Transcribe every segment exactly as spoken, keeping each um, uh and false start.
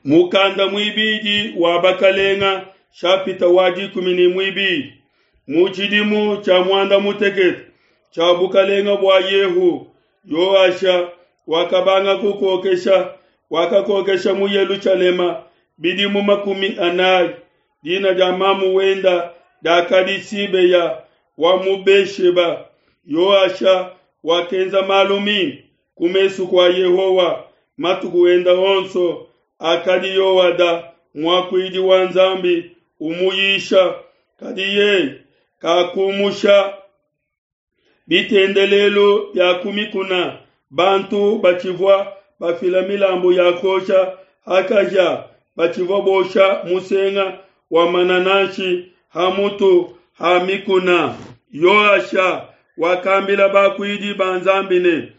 Mukanda muibidi wa bakalenga shapita wa dikumi ne muibidi mu tshidimu tshia muanda mutekete tshia bukalenga bua Yehu, Yoasha wakabanga kukokesha, wakakokesha mu Yelushalema bidimu makumi anayi. Dina dia mamu wenda diakadi Sibeya wa mu Besheba. Yoasha wakenza malu mimpe ku mesu kua Yehowa matuku enda onso akadi Yoada muakuidi wa Nzambi umuyisha, kadi yeye kakumusha bitendelelu bia ku mikuna. Bantu batshivua bafila milambu ya kuosha ha kahia, batshivua bosha musenga wa manananshi ha mutu ha mikuna. Yoasha wakambila bakuidi ba Nzambi ne,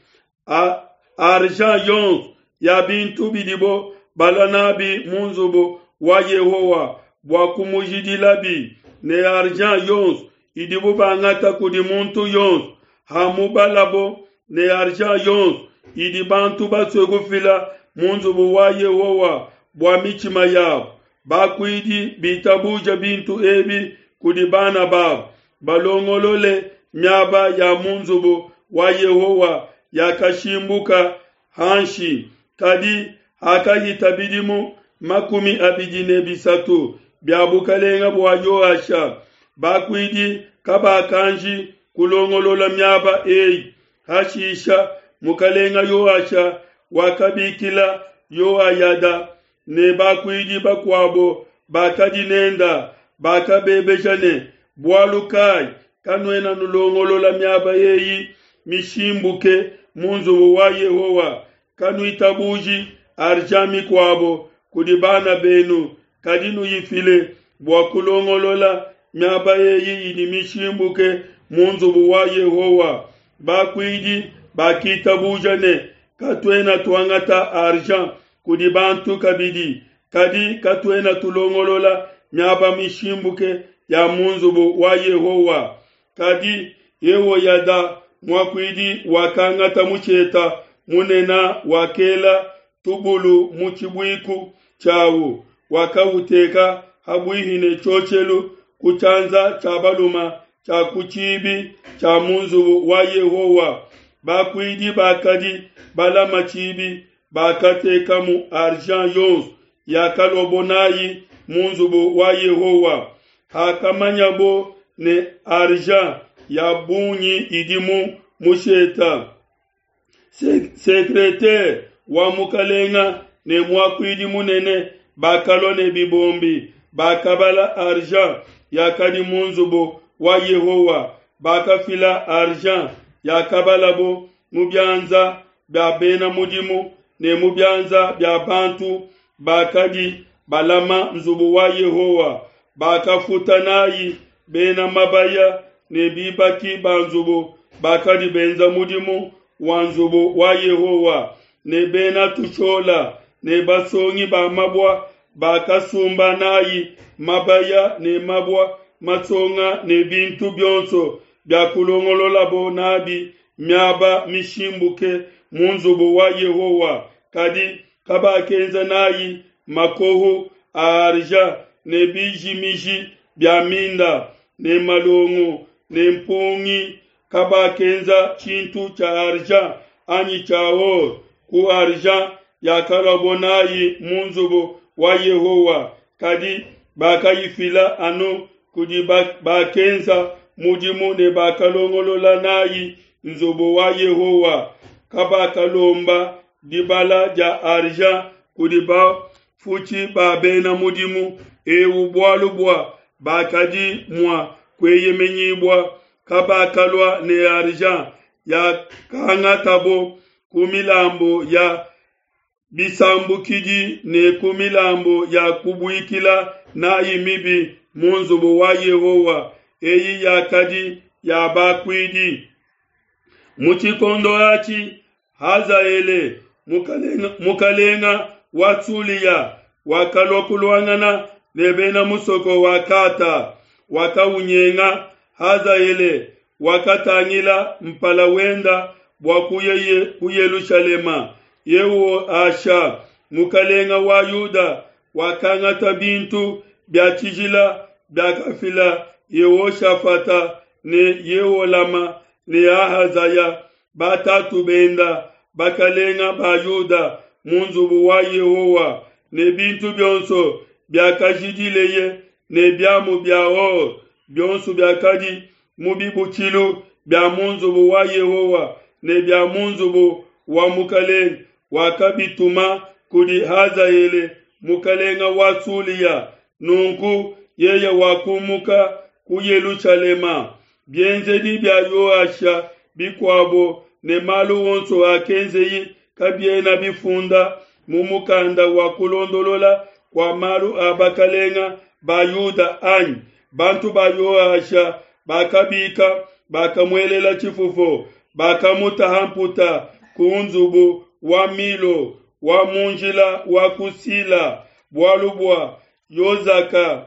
argent yonso ya bintu bidibo balua nabi mu nzubu wa Yehowa bua kumujidilabi, ne argent yonso idibo bangata kudi muntu yonso hamubalabo, ne argent yonso idi bantu basue kufila mu nzubu wa Yehowa bua mitshima yabo. Bakuidi bitabuja bintu ebi kudi bana babo, balongolole miaba ya mu nzubu wa Yehowa yakashimbuka hanshi. Kadi hakahita bidimu makumi abidi ne bisatu bia bukalenga bua Yoasha, bakuidi kabakanji kulongolola miaba eyi. Hashisha mukalenga Yoasha wakabikila Yoayada ne bakuidi bakuabo bakadi nenda, bakabebeja ne, bualu kai kanuena nulongolola miaba eyi mishimbuke mu nzubu wa Yehowa? Kanuitabuji argent mikuabo kudi bana benu, kadi nuyifile bua kulongolola miaba eyi idi mishimbuke mu nzubu wa Yehowa. Bakuidi bakitabuja ne, katuena tuangata argent kudi bantu kabidi, kadi katuena tulongolola miaba mishimbuke ya mu nzubu wa Yehowa. Kadi Yehoyada muakuidi wakangata musheta munene, wakela tubulu mu tshibuiku tshiawu, wakauteka habuihi ne tshioshelu ku tshianza tshia balume tshia ku tshibi tshia mu nzubu wa Yehowa. Bakuidi bakadi balama tshibi bakatekamu argent yonso yakaluabo nayi mu nzubu wa Yehowa. Hakamanyabo ne argent ya bungi idi mu musheta, sekretere wa mukalenga ne muakuidi munene bakalua ne bibombi, bakabala argent yakadi mu nzubu wa Yehowa. Bakafila argent yakabalabo mu bianza bia bena mudimu ne mu bianza bia bantu bakadi balama nzubu wa Yehowa. Bakafuta nayi bena mabaya ne bibaki ba nzubu bakadi benza mudimu wa nzubu wa Yehowa, ne bena tushola ne basongi ba mabua. Bakasumba nayi mabaya ne mabua masonga ne bintu bionso bia kulongololabo nabi miaba mishimbuke mu nzubu wa Yehowa. Kadi kabakenza nayi makohu a argent ne bijimiji bia minda ne malongo ne mpungi. Kabakenza tshintu tshia argent anyi tshia or ku argent yakaluabo nayi mu nzubu wa Yehowa, kadi bakayifila anu kudi bakenza mudimu ne bakalongolola nayi nzubu wa Yehowa. Kabakalomba dibala dia argent kudi bafutshi ba bena mudimu ewu, bualu bua bakadi mua kueyemenyibua. Kabakalua ne argent yakangatabo ku milambu ya bisambukidi ne ku milambu ya kubuikila nayi mibi mu nzubu wa Yehowa, eyi yakadi ya bakuidi. Mu tshikondo atshi Hazaele mukalenga, mukalenga wa Sulia wakalua kuluangana ne bena musoko wa Kata, wakaunyenga. Hazaele wakatangila mpala wenda bua kuya ku Yelushalema. Yehoasha mukalenga wa Yuda, wakangata bintu bia tshijila biakafila Yehoshafata ne Yeholama ne Ahazaya batatu benda, bakalenga ba Yuda, mu nzubu wa Yehowa, ne bintu bionso biakajidileye ne biamu bia or bionso biakadi mu bibutshilu bia mu nzubu wa Yehowa ne bia mu nzubu wa mukalenge, wakabituma kudi Hazaele mukalenge wa Sulia. Nunku yeye wakumuka ku Yelushalema. Bienzedi bia Yoasha bikuabo ne malu onso akenzeye kabiena bifunda mu mukanda wa kulondolola kua malu a bakalenge ba Yuda anyi? Bantu ba Yoasha bakabika, bakamuelela tshifufu, bakamutaha mputa ku nzubu wa Milo wa mu njila wa ku Sila, bualu bua Yozaka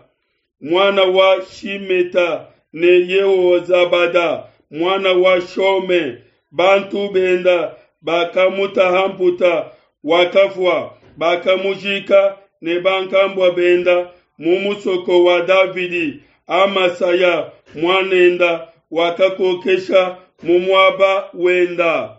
muana wa Shimeta ne Yehozabada muana wa Shome, bantu benda bakamutaha mputa, wakafua. Bakamujika ne bankambua benda mu musoko wa Davidi. Amasaya muanenda wakakokesha mu muaba wenda.